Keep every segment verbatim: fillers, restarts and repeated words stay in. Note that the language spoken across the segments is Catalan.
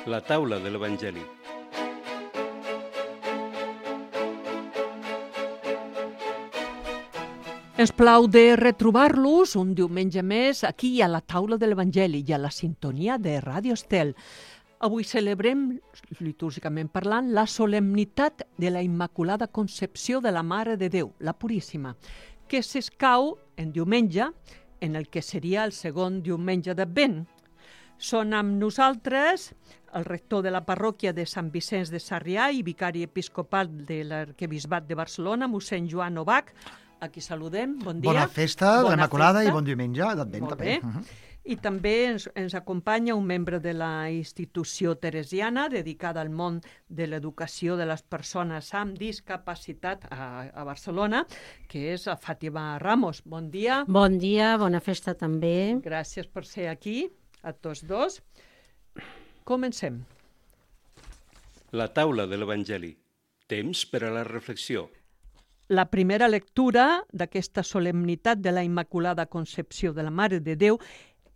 La taula de l'Evangeli. Ens plau de retrobar-los un diumenge més aquí a la taula de l'Evangeli i a la sintonia de Ràdio Estel. Avui celebrem, litúrgicament parlant, la solemnitat de la Immaculada Concepció de la Mare de Déu, la Puríssima, que s'escau en diumenge, en el que seria el segon diumenge d'Advent. Són amb nosaltres el rector de la parròquia de Sant Vicenç de Sarrià i vicari episcopal de l'Arquebisbat de Barcelona, mossèn Joan Novach, a qui saludem. Bon dia. Bona festa de l'Immaculada i bon diumenge d'Advent també. Uh -huh. I també ens, ens acompanya un membre de la institució teresiana dedicada al món de l'educació de les persones amb discapacitat a, a Barcelona, que és Fàtima Ramos. Bon dia. Bon dia, bona festa també. Gràcies per ser aquí, a tots dos. Comencem. La taula de l'Evangeli. Temps per a la reflexió. La primera lectura d'aquesta solemnitat de la Immaculada Concepció de la Mare de Déu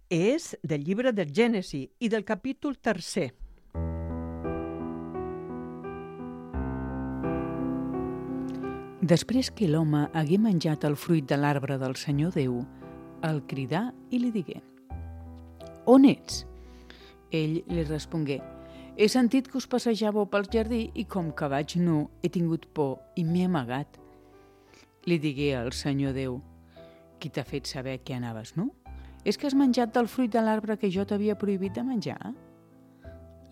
és del llibre del Gènesi i del capítol tercer. Després que l'home hagué menjat el fruit de l'arbre del Senyor Déu, el cridà i li digué: «On ets?» Ell li respongué: «He sentit que us passejàveu pel jardí i com que vaig nu he tingut por i m'he amagat». Li digué al Senyor Déu: «Qui t'ha fet saber que anaves nu? És que has menjat del fruit de l'arbre que jo t'havia prohibit de menjar?»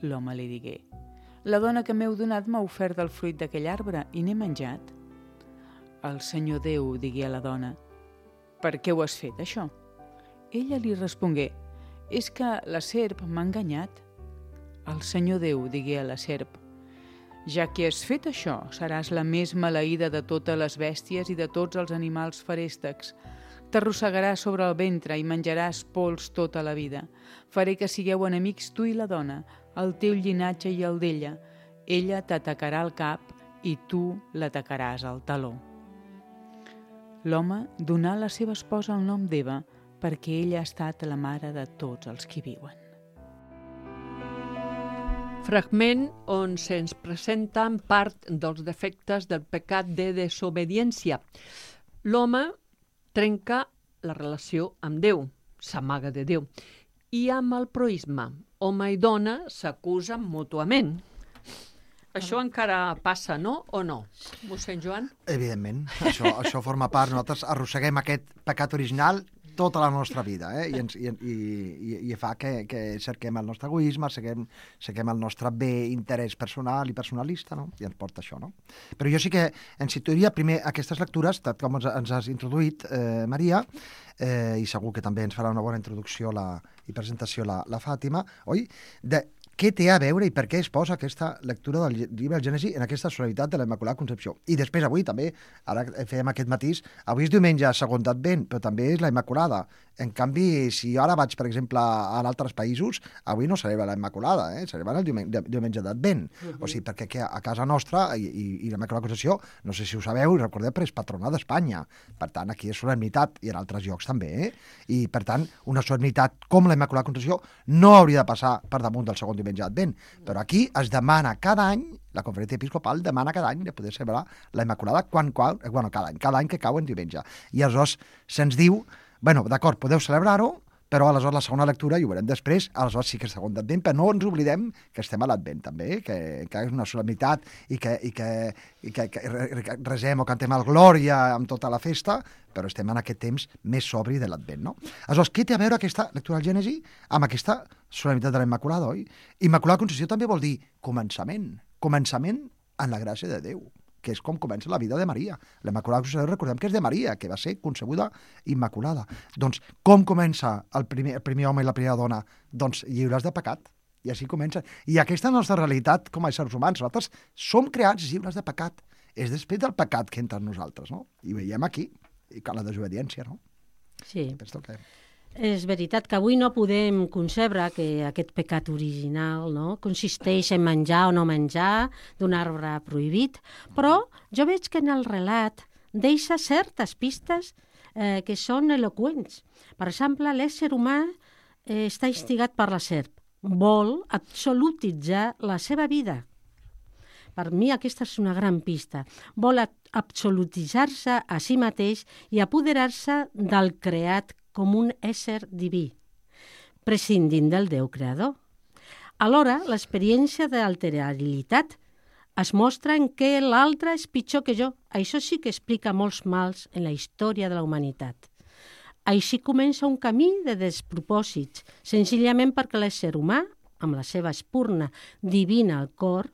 L'home li digué: «La dona que m'heu donat m'ha ofert del fruit d'aquell arbre i n'he menjat». El Senyor Déu digué a la dona: «Per què ho has fet, això?» Ella li respongué: «És que la serp m'ha enganyat». El Senyor Déu digué a la serp: «Ja que has fet això, seràs la més maleïda de totes les bèsties i de tots els animals feréstecs. T'arrossegaràs sobre el ventre i menjaràs pols tota la vida. Faré que sigueu enemics tu i la dona, el teu llinatge i el d'ella. Ella t'atacarà al cap i tu l'atacaràs al taló». L'home donà a la seva esposa el nom d'Eva perquè ella ha estat la mare de tots els que viuen. Fragment on se'ns presenten part dels defectes del pecat de desobediència. L'home trenca la relació amb Déu, s'amaga de Déu, i amb el proïsme. Home i dona s'acusen mútuament. Això encara passa, no? O no? Mossèn Joan? Evidentment, això, això forma part. Nosaltres arrosseguem aquest pecat original tota la nostra vida, eh? I, ens, i, i, i fa que, que cerquem el nostre egoisme, cerquem, cerquem el nostre bé interès personal i personalista, no? I ens porta això, no? Però jo sí que en situaria primer aquestes lectures, tal com ens, ens has introduït, eh, Maria, eh, i segur que també ens farà una bona introducció la, i presentació la, la Fàtima, oi? De què té a veure i per què es posa aquesta lectura del llibre del Gènesi en aquesta solemnitat de la Immaculada Concepció. I després avui també, ara fèiem aquest matís, avui és diumenge segon d'Advent, però també és la Immaculada. En canvi, si jo ara vaig, per exemple, a altres països, avui no celebra la Immaculada, eh? Celebra el diumenge, diumenge d'Advent. Uh-huh. O sigui, perquè a casa nostra, i, i, i la Immaculada Concepció, no sé si ho sabeu, recordeu, però és patrona d'Espanya. Per tant, aquí és solemnitat, i en altres llocs també, eh? I, per tant, una solemnitat com la Immaculada Concepció no hauria de passar per damunt del segon diumenge d'Advent. Però aquí es demana cada any, la conferència episcopal demana cada any de poder celebrar la Immaculada quan, quan, bueno, cada any, cada any que cau en diumenge. I aleshores se'ns diu, bueno, d'acord, podeu celebrar-ho, però aleshores la segona lectura, i ho veurem després, aleshores sí que és segon d'Advent, però no ens oblidem que estem a l'Advent també, que, que és una solemnitat i que, i que, i que, que resem o cantem el Glòria amb tota la festa, però estem en aquest temps més sobri de l'Advent, no? Aleshores, què té a veure aquesta lectura del Gènesi amb aquesta solemnitat de la Immaculada, oi? Immaculada Concepció també vol dir començament, començament en la gràcia de Déu, que és com comença la vida de Maria. La Immaculada Concepció, recordem que és de Maria, que va ser concebuda immaculada. Doncs, com comença el primer, el primer home i la primera dona? Doncs lliures de pecat. I així comença. I aquesta és la nostra realitat com a éssers humans. Nosaltres som creats lliures de pecat. És després del pecat que entra en nosaltres, no? I ho veiem aquí, i que la desobediència, no? Sí. Penso que... És veritat que avui no podem concebre que aquest pecat original, no, consisteix en menjar o no menjar d'un arbre prohibit, però jo veig que en el relat deixa certes pistes eh, que són eloqüents. Per exemple, l'ésser humà eh, està instigat per la serp. vol absolutitzar la seva vida. Per mi aquesta és una gran pista. Vol absolutitzar-se a si mateix i apoderar-se del creat com un ésser diví, prescindint del Déu creador. Alhora, l'experiència d'alterabilitat es mostra en què l'altre és pitjor que jo. Això sí que explica molts mals en la història de la humanitat. Així comença un camí de despropòsits, senzillament perquè l'ésser humà, amb la seva espurna divina al cor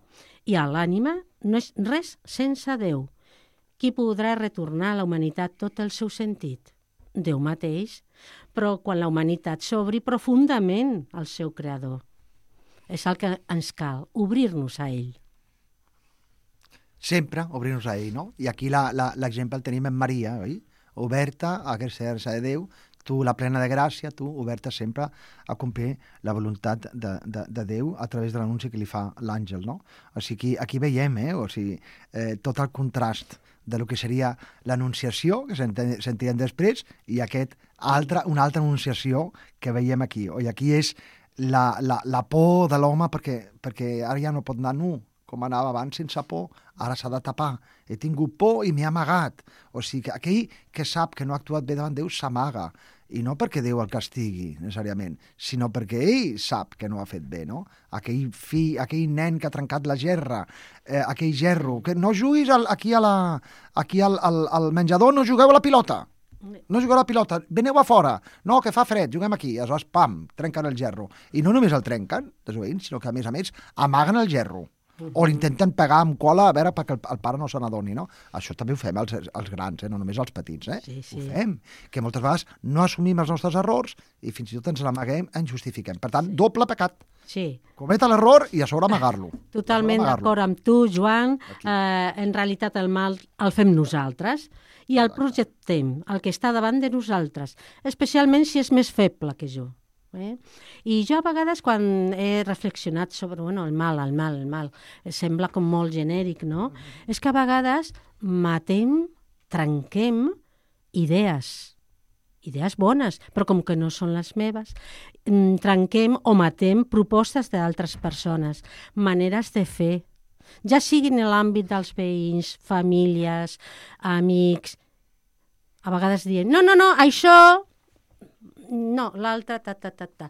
i a l'ànima, no és res sense Déu. Qui podrà retornar a la humanitat tot el seu sentit? Déu mateix, però quan la humanitat s'obri profundament al seu creador. És el que ens cal, obrir-nos a ell. Sempre obrir-nos a ell, no? I aquí l'exemple el tenim en Maria, oi? Oberta a ser-se de Déu, tu, la plena de gràcia, tu, oberta sempre a complir la voluntat de, de, de Déu a través de l'anunci que li fa l'àngel, no? O sigui, aquí veiem, eh? O sigui, eh, tot el contrast de lo que seria l'anunciació, que sentirem després, i aquest altre, una altra anunciació que veiem aquí. O i aquí és la, la, la por de l'home perquè, perquè ara ja no pot anar nu, com anava abans sense por, ara s'ha de tapar. He tingut por i m'he amagat. O sigui, que aquell que sap que no ha actuat bé davant Déu s'amaga. I no perquè Déu el castigui, necessàriament, sinó perquè ell sap que no ha fet bé, no? Aquell fill, aquell nen que ha trencat la gerra, eh, aquell gerro, que no juguis al, aquí, a la, aquí al, al, al menjador, no jugueu a la pilota. No jugueu a la pilota, veneu a fora. No, que fa fred, juguem aquí. Aleshores, pam, trenquen el gerro. I no només el trenquen, desobeint, sinó que, a més a més, amaguen el gerro. O l'intenten pegar amb cola a veure perquè el, el pare no se n'adoni, no? Això també ho fem els, els grans, eh? No només els petits, eh? Sí, sí. Ho fem, que moltes vegades no assumim els nostres errors i fins i tot ens l'amaguem, ens justifiquem. Per tant, sí. Doble pecat. Sí. Cometa l'error i a sobre amagar-lo. Totalment d'acord amb tu, Joan. Eh, en realitat el mal el fem nosaltres i el projectem, el que està davant de nosaltres, especialment si és més feble que jo. Eh? I jo a vegades quan he reflexionat sobre bueno, el mal, el mal, el mal, sembla com molt genèric, no? Mm-hmm. És que a vegades matem, trenquem idees, idees bones, però com que no són les meves, trenquem o matem propostes d'altres persones, maneres de fer, ja siguin en l'àmbit dels veïns, famílies, amics, a vegades dient, no, no, no, això... no, l'altre, ta, ta, ta, ta.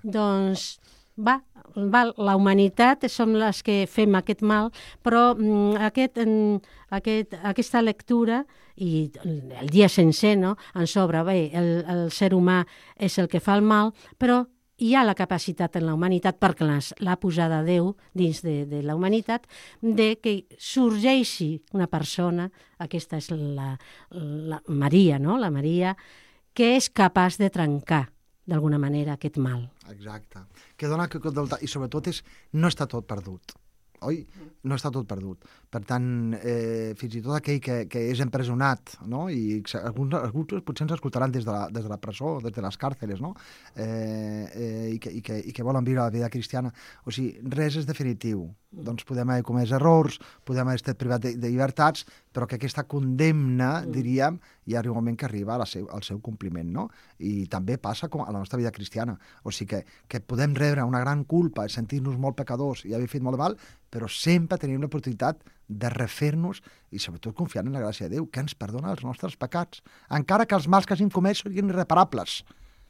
Doncs, va, va, la humanitat som les que fem aquest mal, però mm, aquest, mm, aquest, aquesta lectura i el dia sencer, no?, ens obre, bé, el, el ser humà és el que fa el mal, però hi ha la capacitat en la humanitat, perquè l'ha posada Déu dins de, de la humanitat, de que sorgeixi una persona, aquesta és la, la Maria, no?, la Maria, que és capaç de trencar, d'alguna manera, aquest mal. Exacte. Que dona que, i sobretot és, no està tot perdut. Oi? No està tot perdut. Per tant, eh, fins i tot aquell que, que és empresonat, no? I alguns, alguns potser ens escoltaran des de la, des de la presó, des de les càrceles, no? Eh, eh, i, que, i, que, i que volen viure la vida cristiana. O sigui, res és definitiu. Doncs podem haver comès errors, podem haver estat privat de, de llibertats, però que aquesta condemna, diríem, hi arriba un moment que arriba al seu, al seu compliment, no? I també passa com a la nostra vida cristiana. O sigui que, que podem rebre una gran culpa, sentir-nos molt pecadors i haver fet molt de mal, però sempre tenim l'oportunitat de refer-nos i sobretot confiant en la gràcia de Déu, que ens perdona els nostres pecats, encara que els mals que hagin comès siguin irreparables.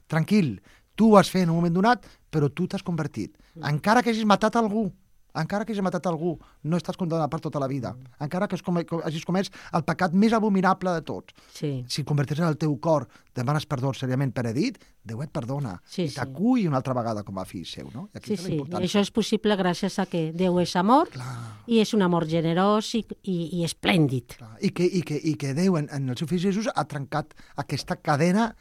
Tranquil, tu ho has fet en un moment donat, però tu t'has convertit. Encara que hagis matat algú, encara que hagis matat algú, no estàs condemnat per tota la vida. Encara que hagis comès el pecat més abominable de tots. Sí. Si converteixes el teu cor, demanes perdó seriament per edit, Déu et perdona. Sí, I t'acull una altra vegada com a fill seu, no? I sí, sí. I això és possible gràcies a que Déu és amor. Clar. I és un amor generós i, i, i esplèndid. Clar. I que, i que, i que Déu, en, en el seu fill Jesús, ha trencat aquesta cadena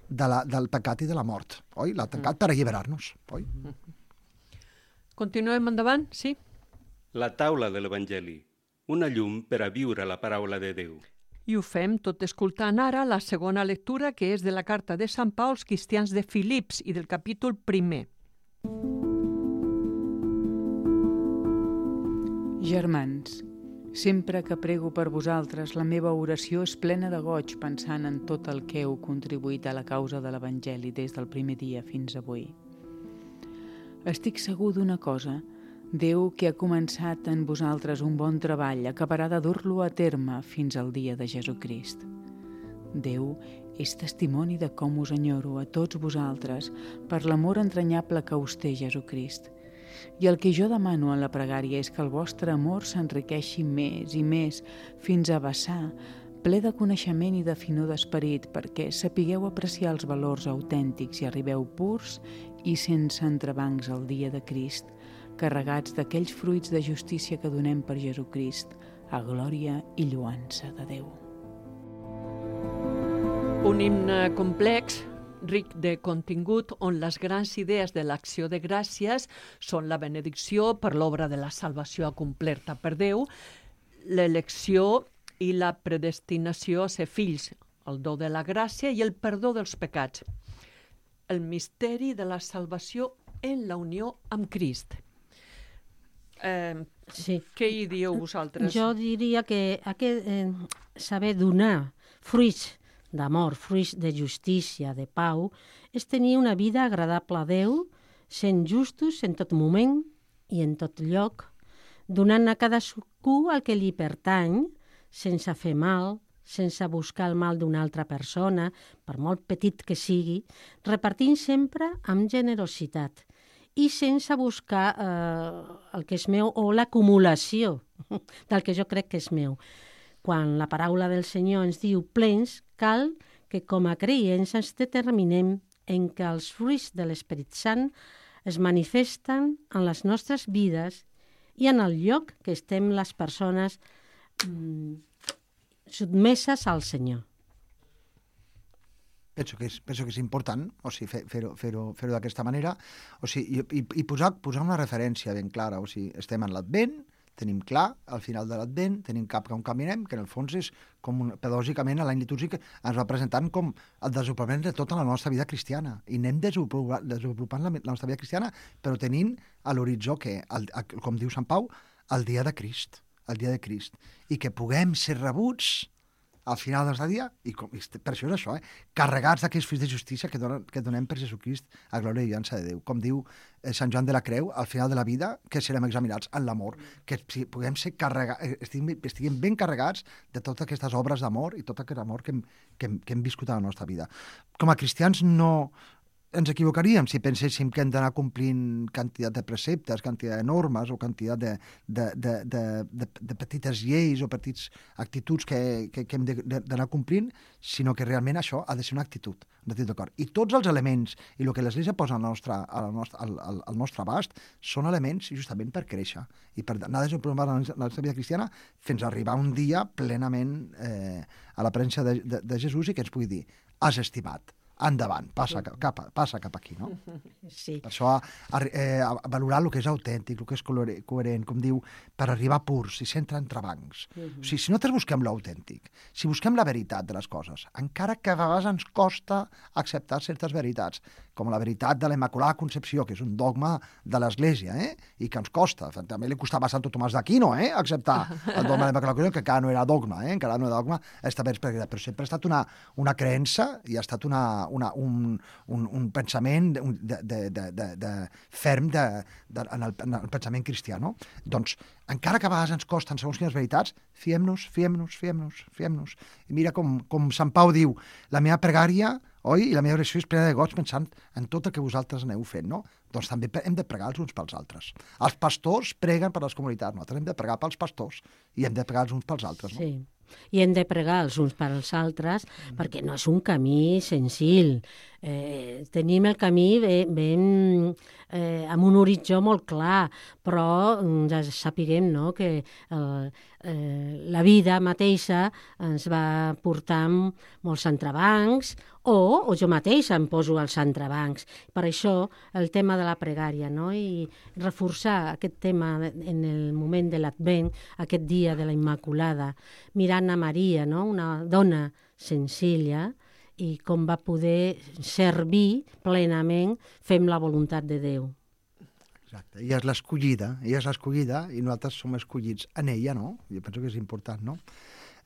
de la, del pecat i de la mort. Oi? L'ha trencat mm. per alliberar-nos. Oi? Mm. Continuem endavant, sí? La taula de l'Evangeli, una llum per a viure la paraula de Déu. I ho fem tot escoltant ara la segona lectura, que és de la carta de Sant Pau als cristians de Filips i del capítol primer. Germans, sempre que prego per vosaltres, la meva oració és plena de goig pensant en tot el que heu contribuït a la causa de l'Evangeli des del primer dia fins avui. Estic segur d'una cosa. Déu, que ha començat en vosaltres un bon treball, acabarà de dur-lo a terme fins al dia de Jesucrist. Déu és testimoni de com us enyoro a tots vosaltres per l'amor entranyable que us té Jesucrist. I el que jo demano en la pregària és que el vostre amor s'enriqueixi més i més fins a vessar, ple de coneixement i de finor d'esperit, perquè sapigueu apreciar els valors autèntics i arribeu purs i sense entrebancs al dia de Crist, carregats d'aquells fruits de justícia que donem per Jesucrist, a glòria i lloança de Déu. Un himne complex, ric de contingut, on les grans idees de l'acció de gràcies són la benedicció per l'obra de la salvació acomplerta per Déu, l'elecció i la predestinació a ser fills, el do de la gràcia i el perdó dels pecats, el misteri de la salvació en la unió amb Crist. Eh, Sí. Què hi dieu vosaltres? Jo diria que aquest, eh, saber donar fruits d'amor, fruits de justícia, de pau, és tenir una vida agradable a Déu, sent justos en tot moment i en tot lloc, donant a cadascú el que li pertany, sense fer mal, sense buscar el mal d'una altra persona, per molt petit que sigui, repartint sempre amb generositat i sense buscar eh, el que és meu o l'acumulació del que jo crec que és meu. Quan la paraula del Senyor ens diu plens, cal que com a creients ens determinem en què els fruits de l'Esperit Sant es manifesten en les nostres vides i en el lloc que estem les persones mm, sotmeses al Senyor. Penso que és, penso que és important, o sigui, fer, fer-ho fer-ho fer-ho d'aquesta manera, o sigui, i, i, i posar, posar una referència ben clara, o sigui, estem en l'Advent, tenim clar, al final de l'Advent, tenim cap on caminem, que en el fons és com un, pedagògicament a l'any litúrgic ens va presentant com el desenvolupament de tota la nostra vida cristiana, i anem desenvolupant, desenvolupant la, la nostra vida cristiana, però tenint a l'horitzó que, el, el, com diu Sant Pau, el dia de Crist, el dia de Crist, i que puguem ser rebuts al final del nostre dia, i com, per això és això, eh? carregats d'aquests fills de justícia que, donen, que donem per Jesucrist a glòria i llança de Déu. Com diu eh, Sant Joan de la Creu, al final de la vida, que serem examinats en l'amor, que si puguem ser carregats, estiguem, estiguem ben carregats de totes aquestes obres d'amor i tot aquest amor que hem, que, hem, que hem viscut a la nostra vida. Com a cristians no ens equivocaríem si penséssim que hem d'anar complint quantitat de preceptes, quantitat de normes o quantitat de, de, de, de, de, de petites lleis o petites actituds que, que, que hem d'anar complint, sinó que realment això ha de ser una actitud, una actitud d'acord. I tots els elements i el que l'Església posa al nostre, al, nostre, al, al, al nostre abast són elements justament per créixer i per anar desenvolupant la nostra vida cristiana fins a arribar un dia plenament eh, a la presència de, de, de Jesús i que ens pugui dir, has estimat, endavant, passa cap, passa cap aquí, no? Sí. Per això, a, eh, a valorar el que és autèntic, el que és coherent, com diu, per arribar purs i sense entrebancs. Uh -huh. O sigui, si nosaltres busquem l'autèntic, si busquem la veritat de les coses, encara que a vegades ens costa acceptar certes veritats, com la veritat de la Immaculada Concepció, que és un dogma de l'Església, eh? I que ens costa. També li costava a Santo Tomàs d'Aquino, eh? Acceptar el dogma de la Immaculada Concepció, que encara no era dogma, eh? Encara no era dogma, però sempre ha estat una, una creença i ha estat una Una, un, un, un pensament de, de, de, de, de ferm de, de, en, el, en el pensament cristià, no? Doncs, encara que a vegades ens costen segons quines veritats, fiem-nos, fiem-nos, fiem-nos, fiem-nos. I mira com, com Sant Pau diu, la meva pregària, oi, i la meva oració és plena de goig pensant en tot el que vosaltres aneu fent, no? Doncs també hem de pregar els uns pels altres. Els pastors preguen per les comunitats, nosaltres hem de pregar pels pastors i hem de pregar els uns pels altres, no? Sí. I hem de pregar els uns per als altres perquè no és un camí senzill. Eh, tenim el camí ben, ben, eh, amb un horitzó molt clar, però ja sapiguem, no, que el, eh, la vida mateixa ens va portar molts entrebancs o, o jo mateixa em poso als entrebancs. Per això el tema de la pregària, no? I reforçar aquest tema en el moment de l'Advent, aquest dia de la Immaculada, mirant a Maria, no? Una dona senzilla, i com va poder servir plenament, fem la voluntat de Déu. Exacte, ella és l'escollida, ella és l'escollida i nosaltres som escollits en ella, no? Jo penso que és important, no?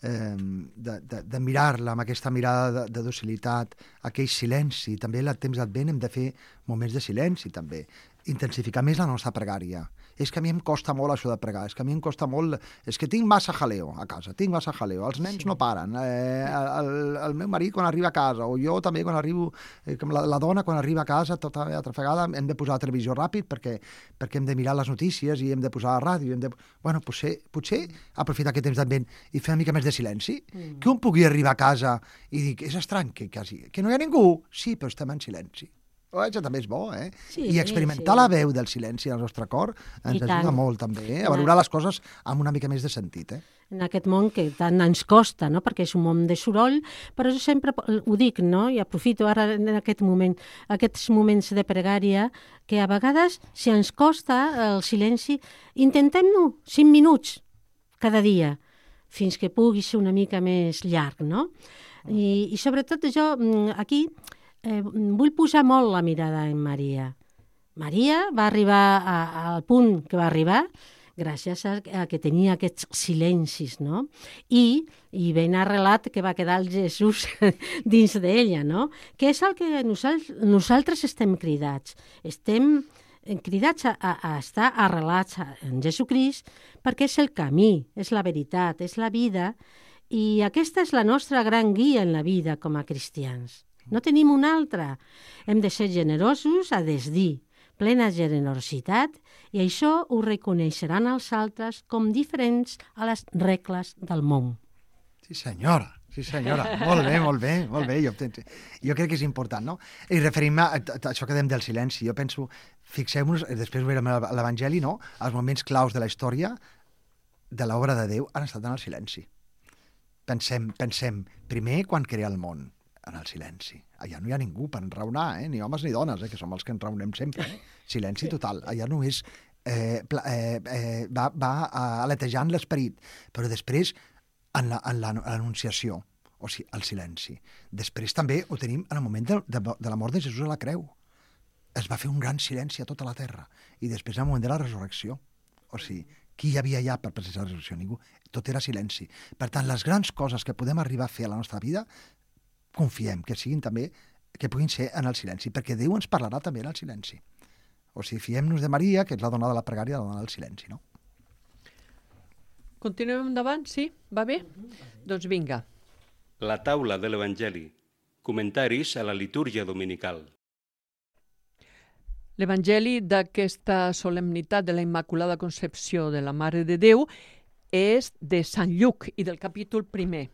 Eh, de, de, de mirar-la amb aquesta mirada de, de docilitat, aquell silenci. També al temps d'Advent hem de fer moments de silenci, també. intensificar més la nostra pregària. És que a mi em costa molt això de pregar, és que a mi em costa molt... És que tinc massa jaleo a casa, tinc massa jaleo, els nens sí. no paren, eh, el, el meu marit quan arriba a casa, o jo també quan arribo, eh, com la, la dona quan arriba a casa, tota atrafegada, hem de posar la televisió ràpid perquè, perquè hem de mirar les notícies i hem de posar la ràdio, hem de... Bueno, potser, potser aprofitar aquest temps d'advent i fer una mica més de silenci, mm. que un pugui arribar a casa i dir, és estrany que, quasi, que no hi ha ningú, sí, però estem en silenci. Oh, això també és bo, eh? Sí, I experimentar sí. la veu del silenci al nostre cor ens I ajuda tant. molt, també, eh? a valorar les coses amb una mica més de sentit, eh? En aquest món que tant ens costa, no? Perquè és un món de soroll, però jo sempre ho dic, no? I aprofito ara en aquest moment, aquests moments de pregària, que a vegades, si ens costa el silenci, intentem-ho cinc minuts cada dia, fins que pugui ser una mica més llarg, no? I, i sobretot jo, aquí... Eh, vull posar molt la mirada en Maria. Maria va arribar a, al punt que va arribar gràcies a, a que tenia aquests silencis, no? I, i ben arrelat que va quedar el Jesús dins d'ella, no? Que és el que nosaltres, nosaltres estem cridats. Estem cridats a, a, a estar arrelats en Jesucrist perquè és el camí, és la veritat, és la vida, i aquesta és la nostra gran guia en la vida com a cristians. No tenim una altra. Hem de ser generosos a desdir, plena generositat, i això ho reconeixeran els altres com diferents a les regles del món. Sí, senyora. Sí, senyora. Molt bé, molt bé, molt bé. Jo, jo crec que és important, no? I referim-me a, a, a això que dèiem del silenci. Jo penso, fixem-nos, després ho veurem a l'Evangeli, no? Els moments claus de la història de l'obra de Déu han estat en el silenci. Pensem, pensem primer quan crea el món, en el silenci. Allà no hi ha ningú per enraonar, eh? Ni homes ni dones, eh? Que som els que enraonem sempre. Eh? Silenci total. Allà només eh, eh, eh, va, va aletejant l'esperit, però després en l'anunciació, o sigui, el silenci. Després també ho tenim en el moment de, de, de la mort de Jesús a la creu. Es va fer un gran silenci a tota la terra. I després en el moment de la resurrecció. O sigui, qui hi havia allà per presenciar la resurrecció? Ningú. Tot era silenci. Per tant, les grans coses que podem arribar a fer a la nostra vida confiem que siguin també, que puguin ser en el silenci, perquè Déu ens parlarà també en el silenci. O sigui, fiem-nos de Maria, que és la dona de la pregària, la dona del silenci, no? Continuem endavant, sí? Va bé? Mm-hmm. Doncs vinga. La taula de l'Evangeli. Comentaris a la litúrgia dominical. L'Evangeli d'aquesta solemnitat de la Immaculada Concepció de la Mare de Déu és de Sant Lluc i del capítol primer.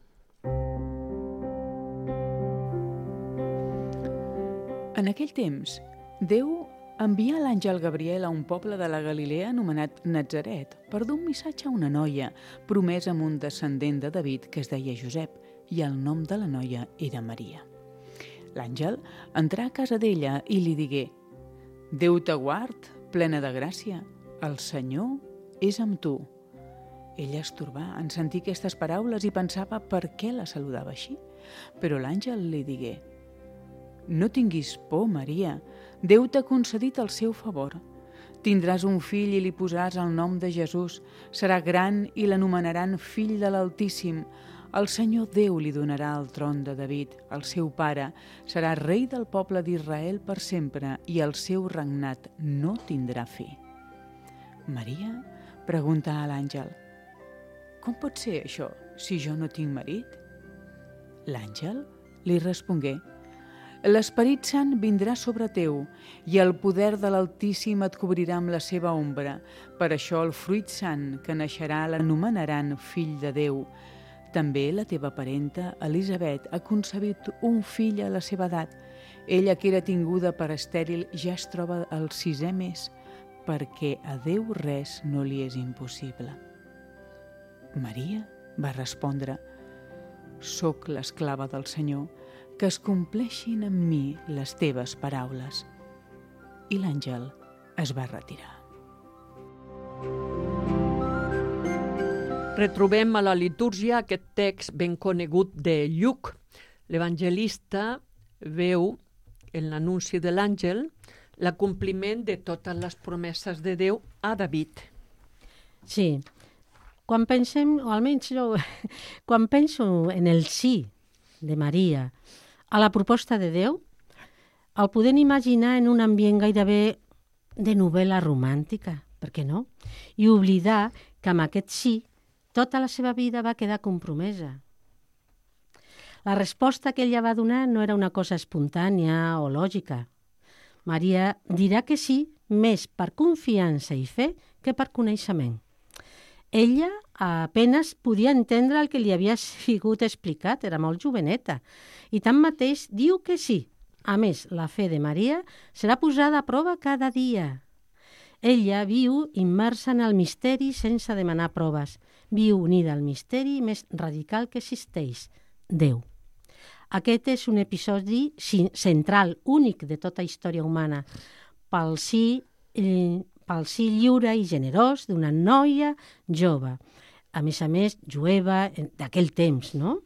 En aquell temps, Déu envia l'àngel Gabriel a un poble de la Galilea anomenat Natzaret per dur un missatge a una noia promesa amb un descendent de David que es deia Josep, i el nom de la noia era Maria. L'àngel entrà a casa d'ella i li digué: «Déu te guard, plena de gràcia, el Senyor és amb tu». Ella es torbà en sentir aquestes paraules i pensava per què la saludava així. Però l'àngel li digué: «No tinguis por, Maria, Déu t'ha concedit el seu favor. Tindràs un fill i li posaràs el nom de Jesús. Serà gran i l'anomenaran fill de l'Altíssim. El Senyor Déu li donarà el tron de David, el seu pare. Serà rei del poble d'Israel per sempre i el seu regnat no tindrà fi». Maria pregunta a l'àngel: «Com pot ser això, si jo no tinc marit?» L'àngel li respongué: «L'Esperit Sant vindrà sobre teu i el poder de l'Altíssim et cobrirà amb la seva ombra. Per això el fruit sant que naixerà l'anomenaran fill de Déu. També la teva parenta, Elisabet, ha concebit un fill a la seva edat. Ella, que era tinguda per estèril, ja es troba al sisè mes, perquè a Déu res no li és impossible». Maria va respondre: «Soc l'esclava del Senyor, que es compleixin en mi les teves paraules». I l'àngel es va retirar. Retrobem a la litúrgia aquest text ben conegut de Lluc. L'evangelista veu en l'anunci de l'àngel l'acompliment de totes les promeses de Déu a David. Sí. Quan pensem, o almenys jo, quan penso en el sí de Maria a la proposta de Déu, el podem imaginar en un ambient gairebé de novel·la romàntica, per què no? I oblidar que amb aquest sí tota la seva vida va quedar compromesa. La resposta que ella va donar no era una cosa espontània o lògica. Maria dirà que sí més per confiança i fe que per coneixement. Ella apenas podia entendre el que li havia sigut explicat, era molt joveneta, i tanmateix diu que sí. A més, la fe de Maria serà posada a prova cada dia. Ella viu immersa en el misteri sense demanar proves. Viu unida al misteri més radical que existeix, Déu. Aquest és un episodi central, únic de tota història humana, pel sí, pel sí lliure i generós d'una noia jove, a més a més jueva d'aquell temps, no?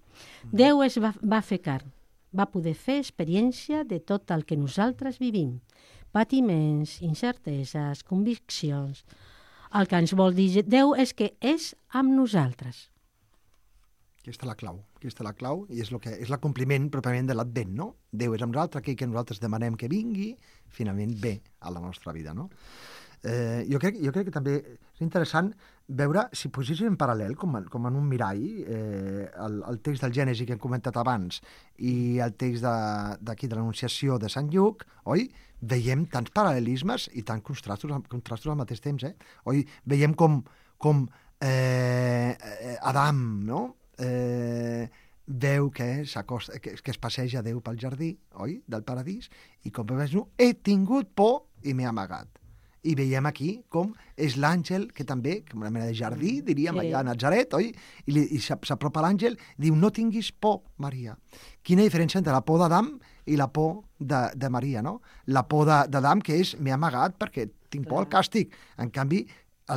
Déu es va, va fer carn, va poder fer experiència de tot el que nosaltres vivim, patiments, incerteses, conviccions. El que ens vol dir Déu és que és amb nosaltres. Aquesta és la clau, aquesta és la clau i és, lo que, és l'acompliment pròpiament de l'Advent, no? Déu és amb nosaltres, aquell que nosaltres demanem que vingui, finalment ve a la nostra vida, no? Eh, jo, crec, jo crec que també és interessant veure, si poséssim en paral·lel, com, com en un mirall, eh, el, el text del Gènesi que hem comentat abans i el text d'aquí de, de l'Anunciació de Sant Lluc, oi? Veiem tants paral·lelismes i tants contrastos, contrastos al mateix temps, eh? Oi? Veiem com, com eh, Adam, no? Eh, veu que, que, que es passeja Déu pel jardí, oi? Del paradís, i com veus, he tingut por i m'he amagat. I veiem aquí com és l'àngel que també, com una mena de jardí, diríem, sí, allà a Nazaret, oi? I, li, i s'apropa l'àngel i diu, no tinguis por, Maria. Quina diferència entre la por d'Adam i la por de, de Maria, no? La por d'Adam, que és, m'he amagat perquè tinc por al càstig. En canvi,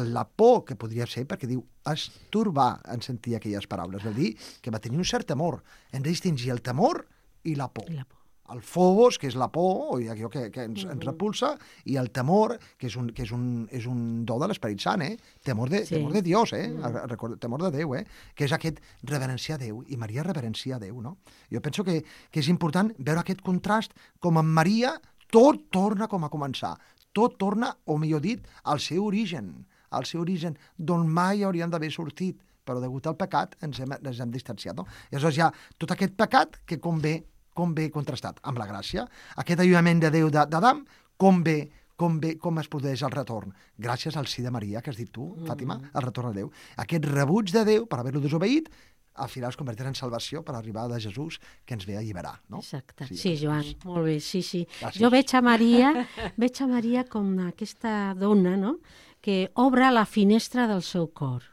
la por que podria ser, perquè diu, es turbar en sentir aquelles paraules. Vol dir que va tenir un cert temor. Hem de distingir el temor i la por. I la por. El phobos, que és la por, o allò que, que ens, ens repulsa, i el temor, que és un, que és un, és un do de l'Esperit Sant, eh? Temor de, sí. temor de Dios, eh? Mm. Temor de Déu, eh? Que és aquest reverenciar Déu, i Maria reverencia Déu, no? Jo penso que, que és important veure aquest contrast, com en Maria tot torna com a començar, tot torna, o millor dit, al seu origen, al seu origen, d'on mai haurien d'haver sortit, però degut al pecat ens hem, ens hem distanciat, no? I aleshores hi ha tot aquest pecat que com ve com ve contrastat amb la gràcia, aquest allunyament de Déu d'Adam, com ve, com ve, com es produeix el retorn? Gràcies al sí de Maria, que has dit tu, Fàtima, el retorn a Déu. Aquest rebuig de Déu, per haver-lo desobeït, al final es convertirà en salvació per arribar a Jesús, que ens ve a alliberar, no? Exacte. Sí, sí, Joan, molt bé, sí, sí. Gràcies. Jo veig a Maria, veig a Maria com aquesta dona, no?, que obre la finestra del seu cor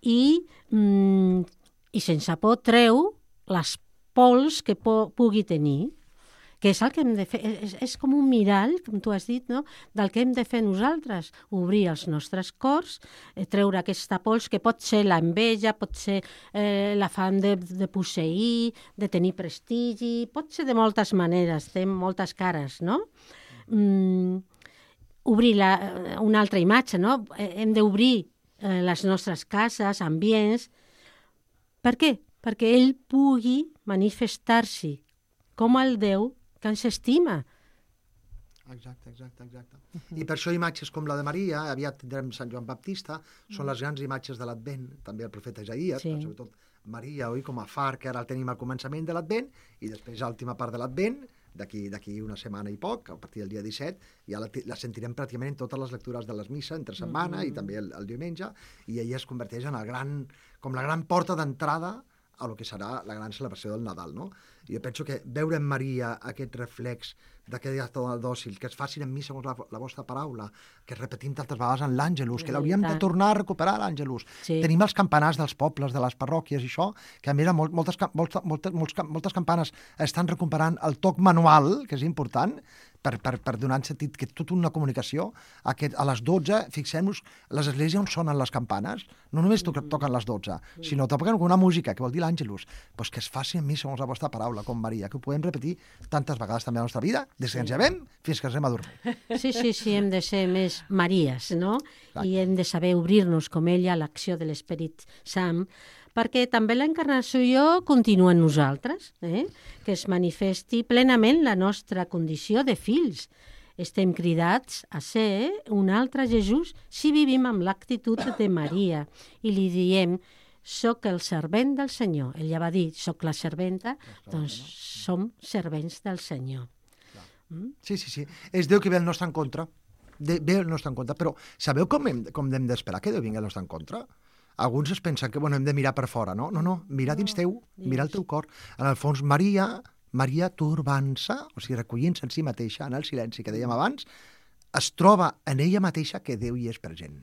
i, mm, i sense por treu les pols que po pugui tenir, que és el que hem de fer, és, és com un mirall, com tu has dit, no?, del que hem de fer nosaltres, obrir els nostres cors, eh, treure aquesta pols que pot ser l'enveja, pot ser eh, l'afany de, de posseir, de tenir prestigi, pot ser de moltes maneres, té moltes cares, no? Mm, obrir la, una altra imatge, no? Hem d'obrir eh, les nostres cases, ambients. Per què? Perquè ell pugui manifestar-s'hi com el Déu que ens estima. Exacte, exacte, exacte. I per això imatges com la de Maria, aviat tindrem Sant Joan Baptista, són les grans imatges de l'Advent, també el profeta Isaías, sí. Però sobretot Maria, oi, com a far, que ara el tenim al començament de l'Advent, i després a l'última part de l'Advent, d'aquí d'aquí una setmana i poc, a partir del dia disset, ja la, la sentirem pràcticament en totes les lectures de les misses entre setmana mm-hmm. i també el, el diumenge, i ella es converteix en el gran, com la gran porta d'entrada a lo que serà la gran celebració del Nadal, no? Jo penso que veure en Maria aquest reflex d'aquest dona dòcil, que es facin en mi segons la, la vostra paraula, que repetim tantes vegades en l'Àngelus, que l'hauríem de tornar a recuperar l'Àngelus. Sí. Tenim els campanars dels pobles, de les parròquies i això, que a més molt, moltes, moltes, moltes, moltes, moltes campanes estan recuperant el toc manual, que és important, per, per, per donar sentit que tota una comunicació, aquest, a les dotze, fixem-nos, les esglésies on sonen les campanes, no només to toquen les dotze, sinó toquen una música, que vol dir l'Àngelus, doncs que es faci en mi segons la vostra paraula, com Maria, que ho podem repetir tantes vegades també a la nostra vida, des que ens llevem fins que ens anem a dormir. Sí, sí, sí, hem de ser més Maries, no? Exacte. I hem de saber obrir-nos com ella a l'acció de l'Esperit Sant, perquè també l'encarnació continua en nosaltres, eh? Que es manifesti plenament la nostra condició de fills. estem cridats a ser un altre Jesús si vivim amb l'actitud de Maria i li diem soc el servent del Senyor. Ella va dir, soc la serventa, doncs som servents del Senyor. Mm? Sí, sí, sí. És Déu que ve el nostre en contra. De, ve el nostre en contra. Però sabeu com hem, com hem d'esperar que Déu vingui el nostre en contra? Alguns es pensen que bueno, hem de mirar per fora, no? No, no, mirar dins teu, mirar el teu cor. En el fons, Maria, Maria turbant-se, o sigui, recollint-se en si mateixa, en el silenci que dèiem abans, es troba en ella mateixa que Déu hi és present.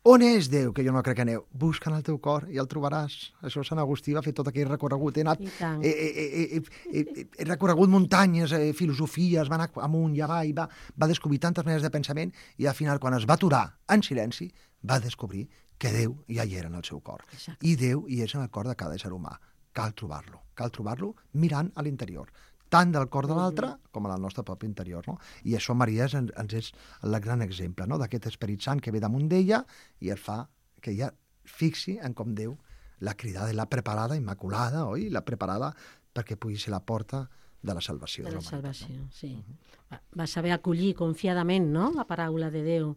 On és Déu, que jo no crec en Déu? Busca en el teu cor i el trobaràs. Això Sant Agustí va fer tot aquell recorregut. He, anat, he, he, he, he, he recorregut muntanyes, eh, filosofies, va anar amunt i avall, va, va descobrir tantes maneres de pensament i al final, quan es va aturar en silenci, va descobrir que Déu ja hi era en el seu cor. Exacte. I Déu hi és en el cor de cada ésser humà. Cal trobar-lo. Cal trobar-lo mirant a l'interior, tant del cor de l'altre com al nostre propi interior. No? I això Maria ens, ens és el gran exemple, no? D'aquest Esperit Sant que ve damunt d'ella i el fa que ella fixi en com Déu l'ha cridada i l'ha preparada, immaculada, oi? L'ha preparada perquè pugui ser la porta de la salvació. De la de salvació, no? sí. Uh-huh. Va saber acollir confiadament, no?, la paraula de Déu.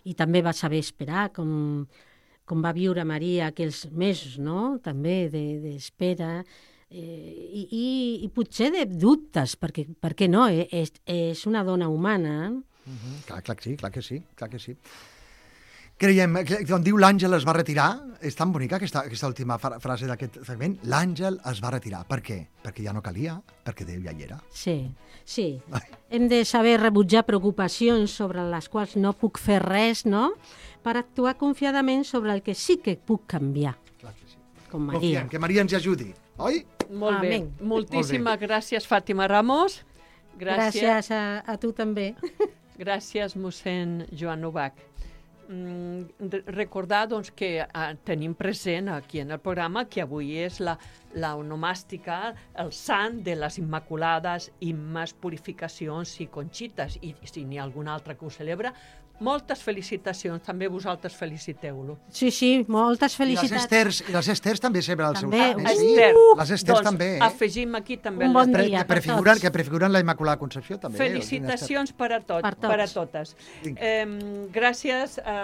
I també va saber esperar, com, com va viure Maria aquells mesos, no?, també d'espera, de, Eh, i, i, i potser de dubtes, perquè, per què no? Eh, és, és una dona humana. Uh-huh. Clar, clar que sí, clar que sí, clar que sí. Creiem, que, on diu l'àngel es va retirar, és tan bonica aquesta, aquesta última frase d'aquest fragment, l'àngel es va retirar. Per què? Perquè ja no calia, perquè Déu ja hi era. Sí, sí. Ai. Hem de saber rebutjar preocupacions sobre les quals no puc fer res, no?, per actuar confiadament sobre el que sí que puc canviar. Clar que sí. Com Maria. Confiem, que Maria ens hi ajudi, oi? Molt bé. Amén. Moltíssimes gràcies, Fàtima Ramos. Gràcies, gràcies a, a tu també. Gràcies, mossèn Joan Novak. Mm, recordar doncs, que eh, tenim present aquí en el programa que avui és la, la onomàstica, el sant de les Immaculades, Immes, Purificacions i Conxites. I si n'hi ha algun altre que ho celebra, moltes felicitacions, també vosaltres feliciteu-lo. Sí, sí, moltes felicitats. I les Esters, i les Esters també celebren el seu sant. sant. Sí? Ester. Les Esters doncs, també. Eh? Afegim aquí també un bon les... dia que prefiguren, que prefiguren la Immaculada Concepció també. Felicitacions per a, tot, per, per a totes. Eh, gràcies a,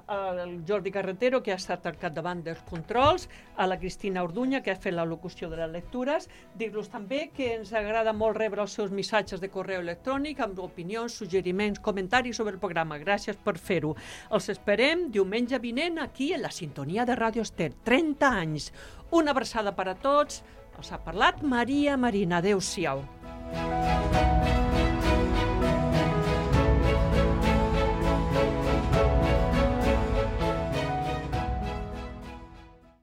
al Jordi Carretero, que ha estat al capdavant dels controls, a la Cristina Orduña, que ha fet la locució de les lectures. Dir-los també que ens agrada molt rebre els seus missatges de correu electrònic amb opinions, suggeriments, comentaris sobre el programa. Gràcies per fer-ho. Els esperem diumenge vinent aquí a la sintonia de Ràdio Estel. trenta anys. Una abraçada per a tots. Els ha parlat Maria Marina. Adéu-siau.